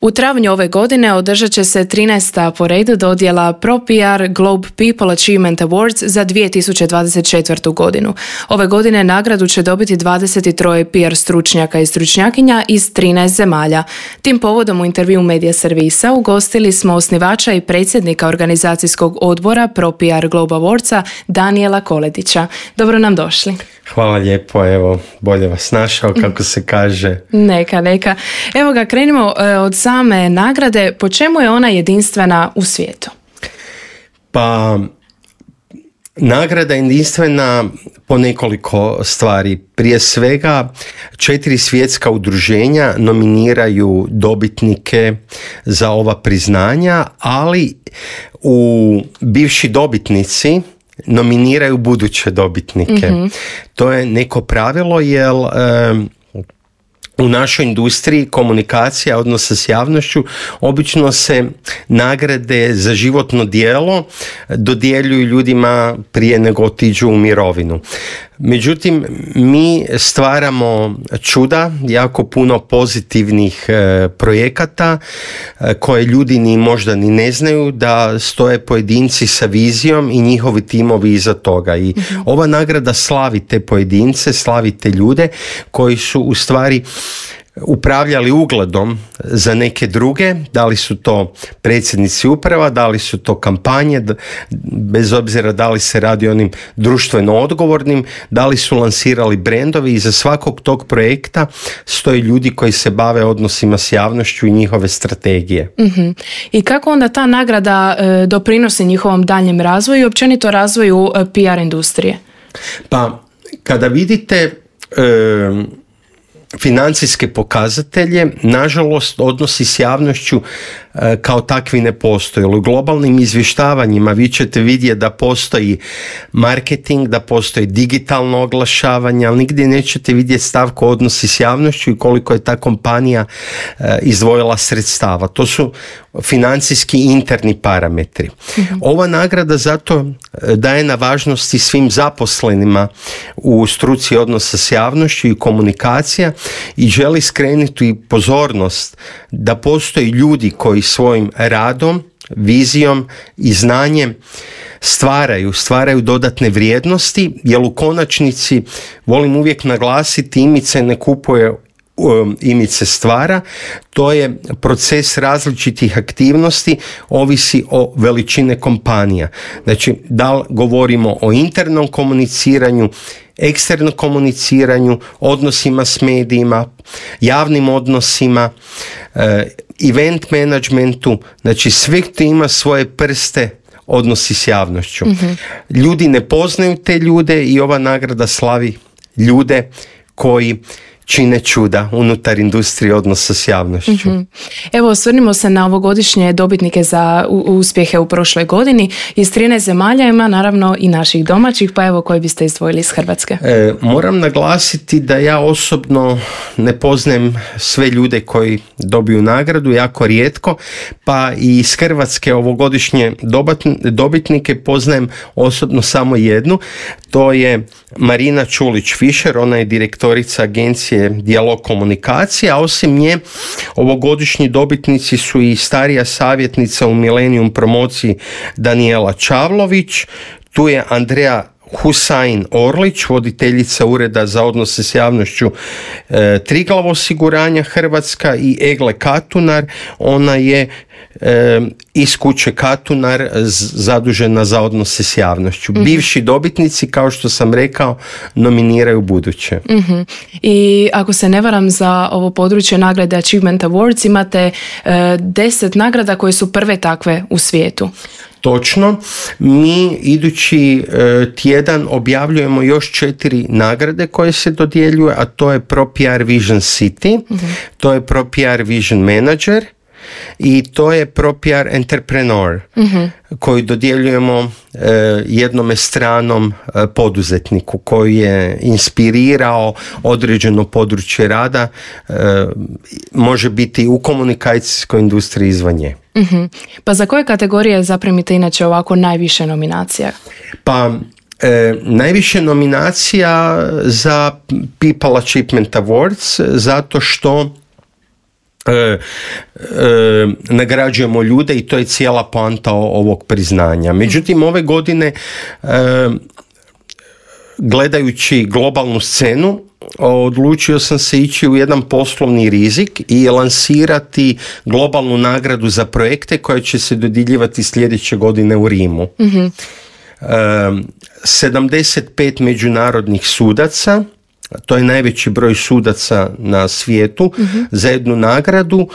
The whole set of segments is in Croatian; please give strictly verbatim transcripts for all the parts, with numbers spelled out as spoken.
U travnju ove godine održat će se trinaesta po redu dodjela ProPR Globe People Achievement Awards za dvije tisuće dvadeset četvrtu. godinu. Ove godine nagradu će dobiti dvadeset tri P R stručnjaka i stručnjakinja iz trinaest zemalja. Tim povodom u intervju Medija servisa ugostili smo osnivača i predsjednika organizacijskog odbora ProPR Globe Awardsa Danijela Koletića. Dobro nam došli. Hvala lijepo, evo, bolje vas našao, kako se kaže. Neka, neka. Evo ga, krenimo od same nagrade. Po čemu je ona jedinstvena u svijetu? Pa, nagrada je jedinstvena po nekoliko stvari. Prije svega, četiri svjetska udruženja nominiraju dobitnike za ova priznanja, ali u bivši dobitnici nominiraju buduće dobitnike. Mm-hmm. To je neko pravilo jer um, u našoj industriji komunikacija, odnosa s javnošću, obično se nagrade za životno djelo dodjeljuju ljudima prije nego otiđu u mirovinu. Međutim, mi stvaramo čuda, jako puno pozitivnih e, projekata e, koje ljudi ni možda ni ne znaju da stoje pojedinci sa vizijom i njihovi timovi iza toga. I mm-hmm. ova nagrada slavi te pojedince, slavi te ljude koji su u stvari upravljali ugledom za neke druge, da li su to predsjednici uprava, da li su to kampanje, bez obzira da li se radi o onim društveno odgovornim, da li su lansirali brendovi. Iza svakog tog projekta stoji ljudi koji se bave odnosima s javnošću i njihove strategije. Mm-hmm. I kako onda ta nagrada e, doprinosi njihovom daljem razvoju i općenito razvoju e, P R industrije? Pa, kada vidite e, financijske pokazatelje, nažalost, odnosi s javnošću e, kao takvi ne postoje. U globalnim izvještavanjima vi ćete vidjeti da postoji marketing, da postoji digitalno oglašavanje, ali nigdje nećete vidjeti stavku odnosi s javnošću i koliko je ta kompanija e, izdvojila sredstava. To su financijski interni parametri. Mm-hmm. Ova nagrada zato daje na važnosti svim zaposlenima u struci odnosa s javnošću i komunikacija i želi skrenuti pozornost da postoji ljudi koji svojim radom, vizijom i znanjem stvaraju, stvaraju dodatne vrijednosti, jer u konačnici, volim uvijek naglasiti, imidž se ne kupuje, imidž se stvara. To je proces različitih aktivnosti, ovisi o veličine kompanija. Znači, da li govorimo o internom komuniciranju, eksternom komuniciranju, odnosima s medijima, javnim odnosima, event managementu, znači sve to ima svoje prste, odnosi s javnošću. Mm-hmm. Ljudi ne poznaju te ljude i ova nagrada slavi ljude koji čine čuda unutar industrije odnosa s javnošću. Mm-hmm. Evo, osvrnimo se na ovogodišnje dobitnike za uspjehe u prošloj godini. Iz trinaest zemalja ima naravno i naših domaćih, pa evo koji biste izdvojili iz Hrvatske? E, moram naglasiti da ja osobno ne poznajem sve ljude koji dobiju nagradu, jako rijetko, pa i iz Hrvatske ovogodišnje dobitnike poznajem osobno samo jednu. To je Marina Čulić-Fišer, ona je direktorica agencije Dijalog komunikacije, a osim nje ovogodišnji dobitnici su i starija savjetnica u Millennium promociji Danijela Čavlović, tu je Andreja Husain Orlić, voditeljica Ureda za odnose s javnošću e, Triglav osiguranja Hrvatska, i Egle Katunar, ona je e, iz kuće Katunar z, zadužena za odnose s javnošću. Mm-hmm. Bivši dobitnici, kao što sam rekao, nominiraju buduće. Mm-hmm. I ako se ne varam, za ovo područje nagrade Achievement Awards imate e, deset nagrada koje su prve takve u svijetu. Točno, mi idući e, tjedan objavljujemo još četiri nagrade koje se dodjeljuju, a to je ProPR Vision City, mm-hmm. to je ProPR Vision Manager i to je ProPR Entrepreneur, mm-hmm. koji dodjeljujemo e, jednome stranom e, poduzetniku koji je inspirirao određeno područje rada, e, može biti u komunikacijskoj industriji izvan nje. Mm-hmm. Pa za koje kategorije zaprimite inače ovako najviše nominacija? Pa E, najviše nominacija za People Achievement Awards, zato što E, e, nagrađujemo ljude i to je cijela poanta ovog priznanja. Međutim, ove godine e, gledajući globalnu scenu, odlučio sam se ići u jedan poslovni rizik i lansirati globalnu nagradu za projekte koja će se dodjeljivati sljedeće godine u Rimu. Mm-hmm. E, sedamdeset pet međunarodnih sudaca, to je najveći broj sudaca na svijetu, mm-hmm. za jednu nagradu,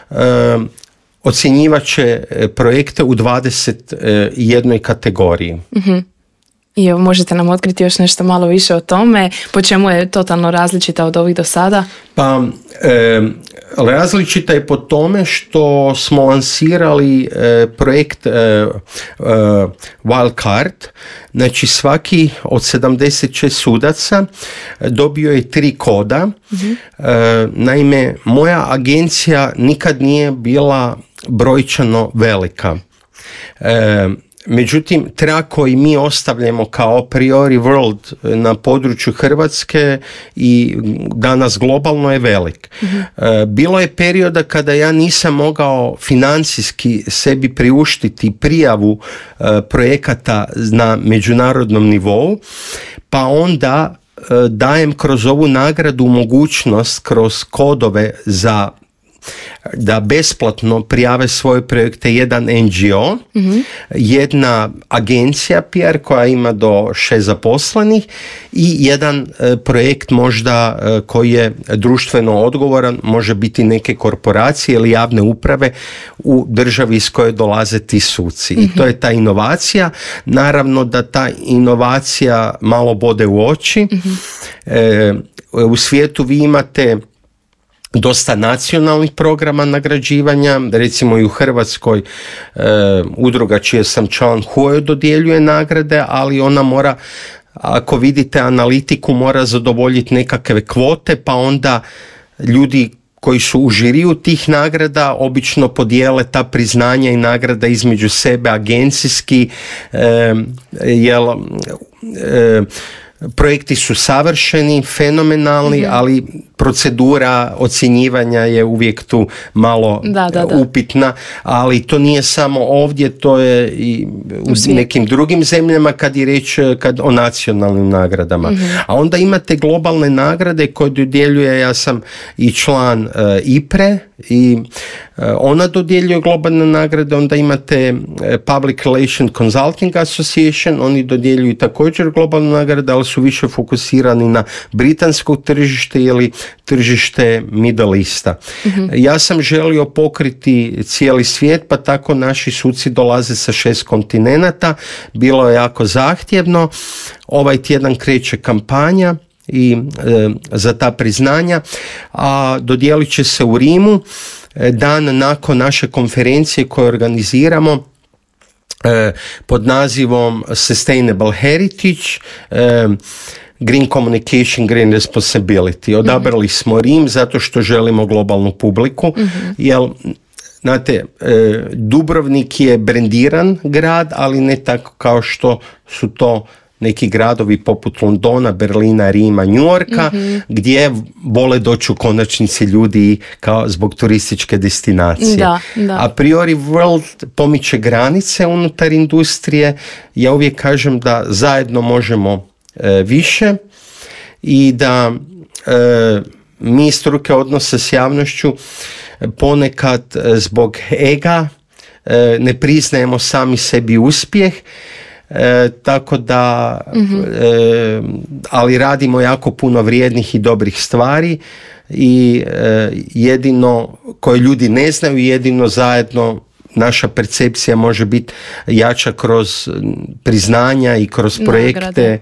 e, ocjenjivat će projekte u dvadeset jednoj kategoriji. Mm-hmm. I evo, možete nam otkriti još nešto malo više o tome, po čemu je totalno različita od ovih do sada? Pa, e, različita je po tome što smo lansirali e, projekt e, e, Wildcard. Znači, svaki od sedamdeset šest sudaca dobio je tri koda. Mm-hmm. E, naime, moja agencija nikad nije bila brojčano velika. E, Međutim, trag koji mi ostavljamo kao priori world na području Hrvatske i danas globalno je velik. Mm-hmm. Bilo je perioda kada ja nisam mogao financijski sebi priuštiti prijavu projekata na međunarodnom nivou, pa onda dajem kroz ovu nagradu mogućnost kroz kodove za da besplatno prijave svoje projekte jedan en ge o, mm-hmm. jedna agencija P R koja ima do šest zaposlenih i jedan e, projekt možda e, koji je društveno odgovoran, može biti neke korporacije ili javne uprave u državi iz koje dolaze ti suci. Mm-hmm. I to je ta inovacija. Naravno da ta inovacija malo bode u oči. Mm-hmm. E, u svijetu vi imate dosta nacionalnih programa nagrađivanja, recimo i u Hrvatskoj e, udruga čije sam član H U E dodjeljuje nagrade, ali ona mora, ako vidite analitiku, mora zadovoljiti nekakve kvote, pa onda ljudi koji su u žiriju tih nagrada obično podijele ta priznanja i nagrada između sebe agencijski, e, jel e, projekti su savršeni, fenomenalni, mm-hmm. ali procedura ocjenjivanja je uvijek tu malo da, da, da. upitna, ali to nije samo ovdje, to je i u nekim drugim zemljama kad je riječ kad o nacionalnim nagradama. Mm-hmm. A onda imate globalne nagrade koje dodjeljuje, ja sam i član uh, I P R E i uh, ona dodjeljuje globalne nagrade, onda imate uh, Public Relation Consulting Association, oni dodjeljuju također globalne nagrade, ali su više fokusirani na britansko tržište ili tržište Middle Easta. Mm-hmm. Ja sam želio pokriti cijeli svijet, pa tako naši suci dolaze sa šest kontinenata. Bilo je jako zahtjevno. Ovaj tjedan kreće kampanja i e, za ta priznanja, a dodijelit će se u Rimu e, dan nakon naše konferencije koju organiziramo e, pod nazivom Sustainable Heritage, e, Green Communication, Green Responsibility. Odabrali mm-hmm. smo Rim zato što želimo globalnu publiku, mm-hmm. jer znate, Dubrovnik je brendiran grad, ali ne tako kao što su to neki gradovi poput Londona, Berlina, Rima, New Yorka, mm-hmm. gdje vole doći u konačnici ljudi kao zbog turističke destinacije. Da, da. A priori World pomiče granice unutar industrije. Ja uvijek kažem da zajedno možemo e, više i da e, mi struke odnosa s javnošću ponekad e, zbog ega e, ne priznajemo sami sebi uspjeh. E, tako da mm-hmm. e, ali radimo jako puno vrijednih i dobrih stvari i e, jedino koje ljudi ne znaju, jedino zajedno naša percepcija može biti jača kroz priznanja i kroz projekte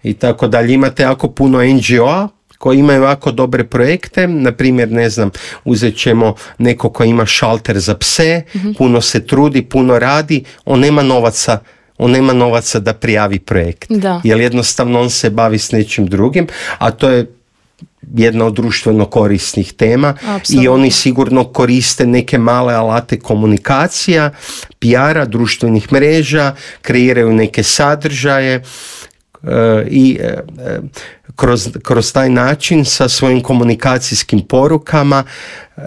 i tako dalje. Imate jako puno en ge o-a koji imaju jako dobre projekte, na primjer, ne znam, uzet ćemo neko ko ima šalter za pse, mm-hmm. puno se trudi, puno radi, on nema novaca on nema novaca da prijavi projekt. Da. Jer jednostavno on se bavi s nečim drugim, a to je jedna od društveno korisnih tema. Apsolutno. I oni sigurno koriste neke male alate komunikacija, P R-a, društvenih mreža, kreiraju neke sadržaje uh, i uh, kroz, kroz taj način sa svojim komunikacijskim porukama e,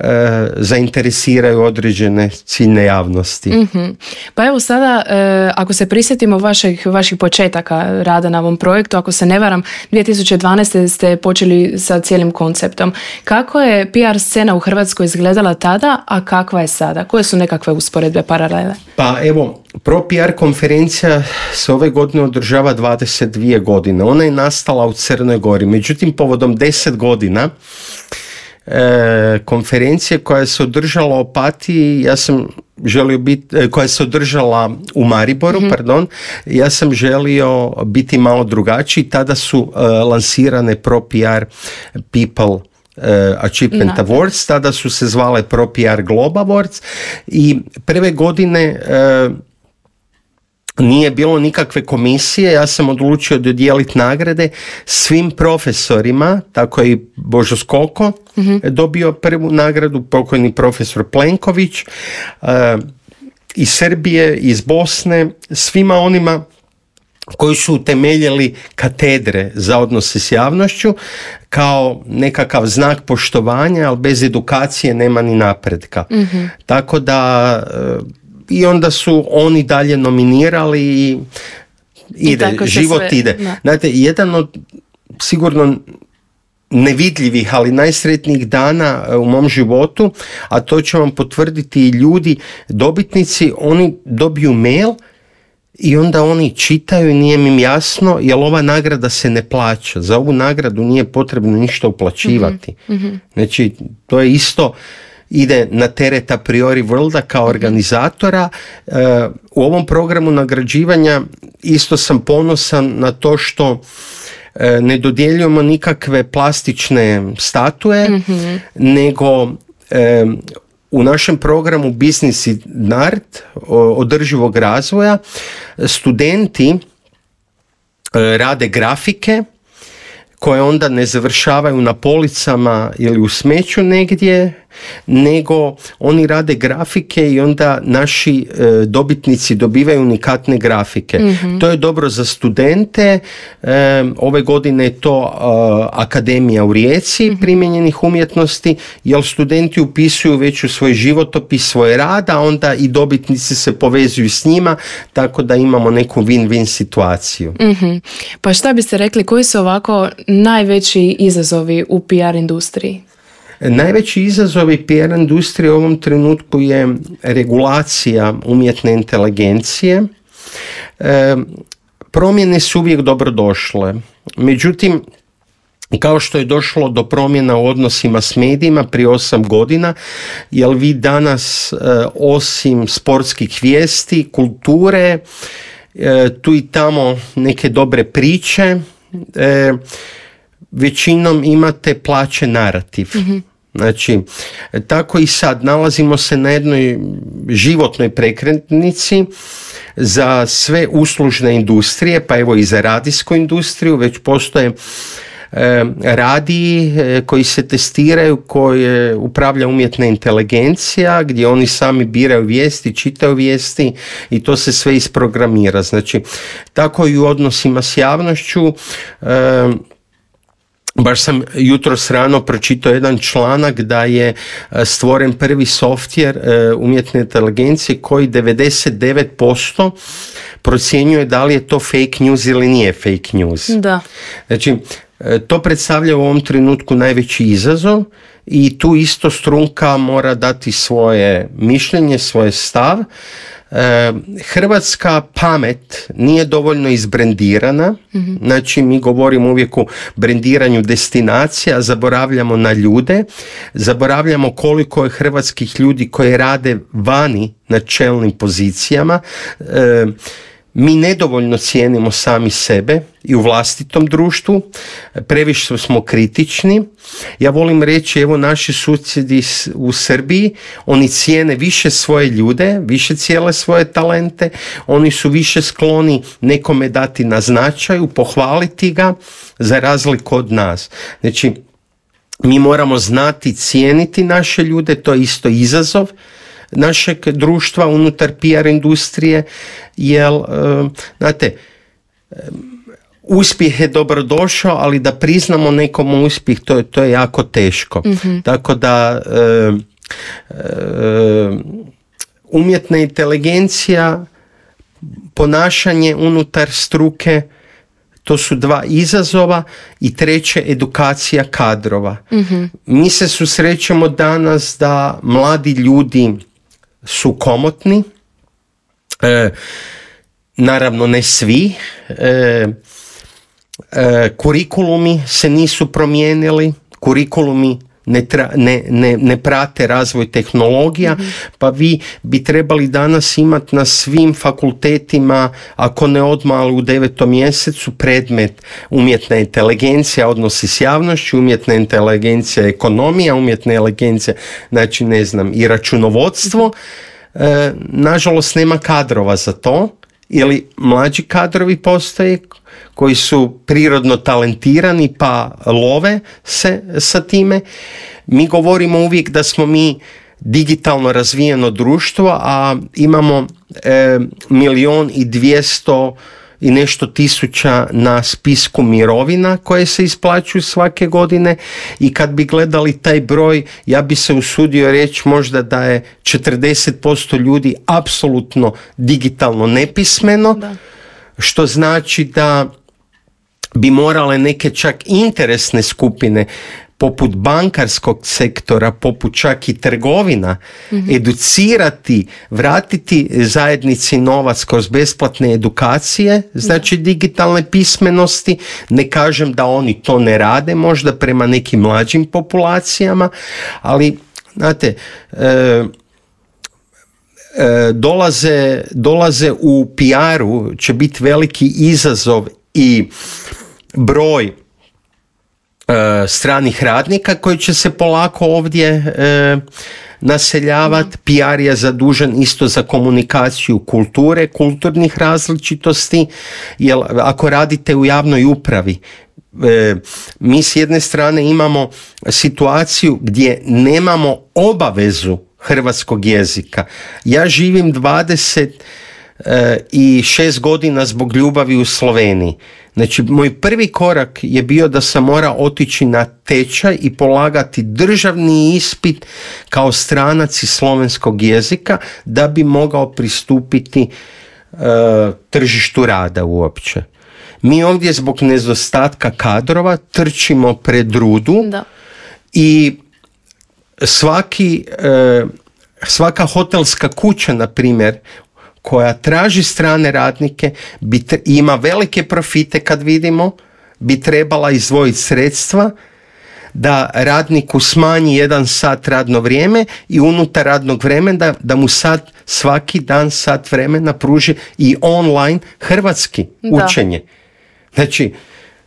zainteresiraju određene ciljne javnosti. Mm-hmm. Pa evo sada, e, ako se prisjetimo vaših, vaših početaka rada na ovom projektu, ako se ne varam, dvije tisuće dvanaeste ste počeli sa cijelim konceptom. Kako je P R scena u Hrvatskoj izgledala tada, a kakva je sada? Koje su nekakve usporedbe, paralele? Pa evo, Pro P R konferencija se ove godine održava dvadeset dvije godine. Ona je nastala u Crnoj Gori. Međutim, povodom deset godina e, konferencije koja se održala u Opatiji, ja sam želio biti, e, koja se održala u Mariboru, mm-hmm. pardon, ja sam želio biti malo drugačiji. Tada su e, lansirane Pro P R People Uh, Achievement no. Awards, tada su se zvale Pro P R Globe Awards i prve godine uh, nije bilo nikakve komisije, ja sam odlučio dodijeliti nagrade svim profesorima, tako je i Božo Skoko mm-hmm. dobio prvu nagradu, pokojni profesor Plenković, uh, iz Srbije, iz Bosne, svima onima koji su utemeljili katedre za odnose s javnošću kao nekakav znak poštovanja, ali bez edukacije nema ni napretka. Mm-hmm. Tako da i onda su oni dalje nominirali i ide, I život sve, ide. Da. Znate, jedan od sigurno nevidljivih, ali najsretnijih dana u mom životu, a to će vam potvrditi i ljudi, dobitnici, oni dobiju mail i onda oni čitaju i nije im jasno, jer ova nagrada se ne plaća. Za ovu nagradu nije potrebno ništa uplaćivati. Mm-hmm. Znači, to je isto, ide na teret a priori Worlda kao organizatora. Uh, u ovom programu nagrađivanja isto sam ponosan na to što uh, ne dodjeljujemo nikakve plastične statue, mm-hmm. nego uh, u našem programu Business in Art održivog razvoja studenti rade grafike koje onda ne završavaju na policama ili u smeću negdje, nego oni rade grafike i onda naši e, dobitnici dobivaju unikatne grafike. Mm-hmm. To je dobro za studente. E, ove godine je to e, Akademija u Rijeci mm-hmm. primijenjenih umjetnosti, jer studenti upisuju već u svoj životopis svoj rad, a onda i dobitnici se povezuju s njima, tako da imamo neku win-win situaciju. Mm-hmm. Pa šta biste rekli, koji su ovako najveći izazovi u P R industriji? Najveći izazovi P R industrije u ovom trenutku je regulacija umjetne inteligencije. E, promjene su uvijek dobrodošle. Međutim, kao što je došlo do promjena u odnosima s medijima prije osam godina, jer vi danas e, osim sportskih vijesti, kulture, e, tu i tamo neke dobre priče, e, većinom imate plaćen narativ. Mm-hmm. Znači, tako i sad nalazimo se na jednoj životnoj prekretnici za sve uslužne industrije, pa evo i za radijsku industriju, već postoje e, radiji e, koji se testiraju, koje upravlja umjetna inteligencija, gdje oni sami biraju vijesti, čitaju vijesti i to se sve isprogramira. Znači, tako i u odnosima s javnošću. E, Baš sam jutros rano pročitao jedan članak da je stvoren prvi softver umjetne inteligencije koji devedeset devet posto procjenjuje da li je to fake news ili nije fake news. Da. Znači, to predstavlja u ovom trenutku najveći izazov i tu isto strunka mora dati svoje mišljenje, svoj stav. Hrvatska pamet nije dovoljno izbrendirana, mm-hmm. znači mi govorimo uvijek o brendiranju destinacija, zaboravljamo na ljude, zaboravljamo koliko je hrvatskih ljudi koji rade vani na čelnim pozicijama. E, mi nedovoljno cijenimo sami sebe i u vlastitom društvu, previše smo kritični. Ja volim reći, evo naši susjedi u Srbiji, oni cijene više svoje ljude, više cijele svoje talente, oni su više skloni nekome dati na značaju, pohvaliti ga za razliku od nas. Znači, mi moramo znati cijeniti naše ljude, to je isto izazov našeg društva unutar P R industrije, jer, znate, uspjeh je dobrodošao, ali da priznamo nekom uspjeh, to je, to je jako teško. Mm-hmm. Tako da e, e, umjetna inteligencija, ponašanje unutar struke, to su dva izazova, i treće, edukacija kadrova. Mm-hmm. Mi se susrećemo danas da mladi ljudi su komotni, e, naravno ne svi, e, e, kurikulumi se nisu promijenili, kurikulumi ne, tra, ne, ne, ne prate razvoj tehnologija, mm-hmm. pa vi bi trebali danas imati na svim fakultetima, ako ne odmah, ali u devetom mjesecu, predmet umjetna inteligencija, odnosi s javnošću, umjetna inteligencija, ekonomija, umjetna inteligencija, znači ne znam, i računovodstvo. E, nažalost nema kadrova za to, ili mlađi kadrovi postoje koji su prirodno talentirani pa love se sa time. Mi govorimo uvijek da smo mi digitalno razvijeno društvo, a imamo e, milion i dvijesto i nešto tisuća na spisku mirovina koje se isplaćuju svake godine, i kad bi gledali taj broj, ja bi se usudio reći možda da je četrdeset posto ljudi apsolutno digitalno nepismeno, da. Što znači da bi morale neke čak interesne skupine poput bankarskog sektora, poput čak i trgovina, mm-hmm. educirati, vratiti zajednici novac kroz besplatne edukacije, znači da. Digitalne pismenosti. Ne kažem da oni to ne rade, možda prema nekim mlađim populacijama, ali znate, e, e, dolaze, dolaze u P R-u, će biti veliki izazov i broj stranih radnika koji će se polako ovdje e, naseljavati. P R je zadužen isto za komunikaciju kulture, kulturnih različitosti, jer ako radite u javnoj upravi, e, mi s jedne strane imamo situaciju gdje nemamo obavezu hrvatskog jezika. Ja živim dvadeset šest godina zbog ljubavi u Sloveniji. Znači, moj prvi korak je bio da sam morao otići na tečaj i polagati državni ispit kao stranac iz slovenskog jezika da bi mogao pristupiti uh, tržištu rada uopće. Mi ovdje zbog nedostatka kadrova trčimo pred rudu, da. I svaki, uh, svaka hotelska kuća, na primjer, koja traži strane radnike, bi tre- ima velike profite kad vidimo, bi trebala izdvojiti sredstva da radniku smanji jedan sat radno vrijeme i unutar radnog vremena da, da mu sad svaki dan sat vremena pruži i online hrvatski učenje. Da. Znači,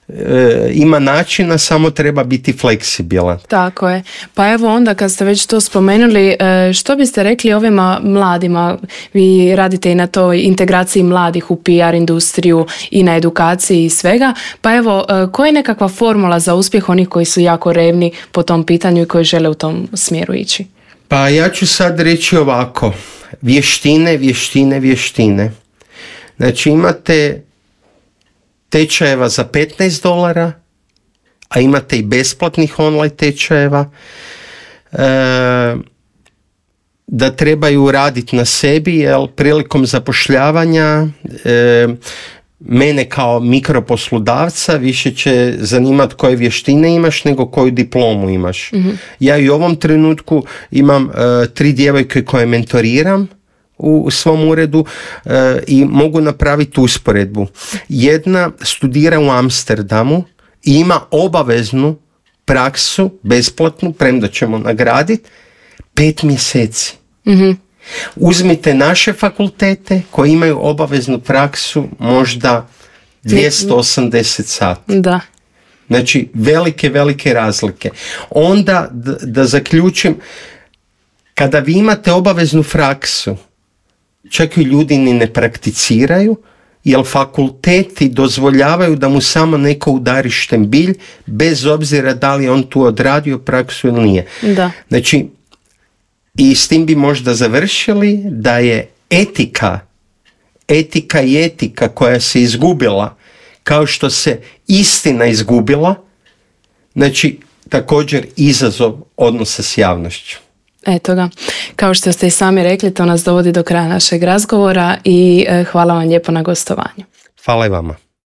E, ima načina, samo treba biti fleksibilan. Tako je. Pa evo onda kad ste već to spomenuli, što biste rekli ovima mladima? Vi radite i na toj integraciji mladih u P R industriju i na edukaciji i svega. Pa evo, koja je nekakva formula za uspjeh onih koji su jako revni po tom pitanju i koji žele u tom smjeru ići? Pa ja ću sad reći ovako. Vještine, vještine, vještine. Znači imate tečajeva za petnaest dolara, a imate i besplatnih online tečajeva, e, da trebaju raditi na sebi, jer prilikom zapošljavanja e, mene kao mikroposlodavca više će zanimati koje vještine imaš nego koju diplomu imaš. Mm-hmm. Ja i u ovom trenutku imam e, tri djevojke koje mentoriram u svom uredu e, i mogu napraviti usporedbu. Jedna studira u Amsterdamu i ima obaveznu praksu, besplatnu, premda ćemo nagraditi, pet mjeseci. Mm-hmm. Uzmite naše fakultete koji imaju obaveznu praksu možda dvjesto osamdeset sati. Da. Znači, velike, velike razlike. Onda, da, da zaključim, kada vi imate obaveznu praksu, čak i ljudi ni ne prakticiraju, jer fakulteti dozvoljavaju da mu samo neko udari štembilj, bez obzira da li on tu odradio praksu ili nije. Da. Znači, i s tim bi možda završili da je etika, etika i etika koja se izgubila kao što se istina izgubila, znači također izazov odnosa s javnošću. Eto ga, kao što ste i sami rekli, to nas dovodi do kraja našeg razgovora i hvala vam lijepo na gostovanju. Hvala i vama.